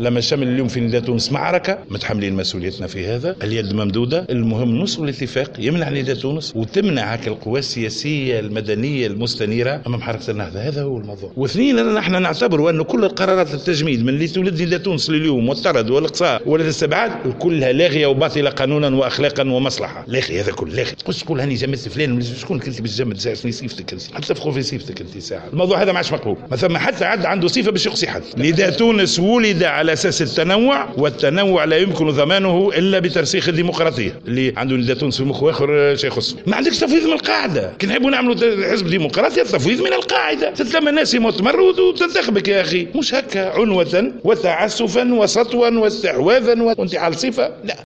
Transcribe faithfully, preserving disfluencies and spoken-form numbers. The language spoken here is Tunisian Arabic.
لما شمل اليوم في نداء تونس معركة، متحملين مسؤوليتنا في هذا، اليد ممدوده، المهم نوصل لاتفاق يمنع نداء تونس وتمنع هكا القوى السياسية المدنية المستنيره امام حركة النهضة. هذا هو الموضوع. واثنين، نحن نعتبر ان كل القرارات التجميد من اللي تولد نداء تونس لليوم والطرد والاقصاء والاستبعاد كلها لاغية وباطله قانونا واخلاقا ومصلحه. لاغي هذا كل لاغي. تقولش تقول هاني جمدت فلان، شكون كنت باش تجمد؟ صفتك انت حتى تفخر في صفتك انت ساعة. الموضوع هذا ما عادش مقبول، ما ثم حتى عد عنده صفة باش يقصي حد. نداء تونس ولد على اساس التنوع، والتنوع لا يمكن ضمانه الا بترسيخ الديمقراطية. اللي عنده نداء تونس في مخه اخر شيء يخص. ما عندكش تفويض من القاعدة. كي نحبوا نعملوا حزب ديمقراطي التفويض من القاعدة، تتلم الناس مؤتمر وتنتخبك يا اخي، مش هكا عنوة وتعسفا وسطوا واستحواذا وانتحال صفة، لا.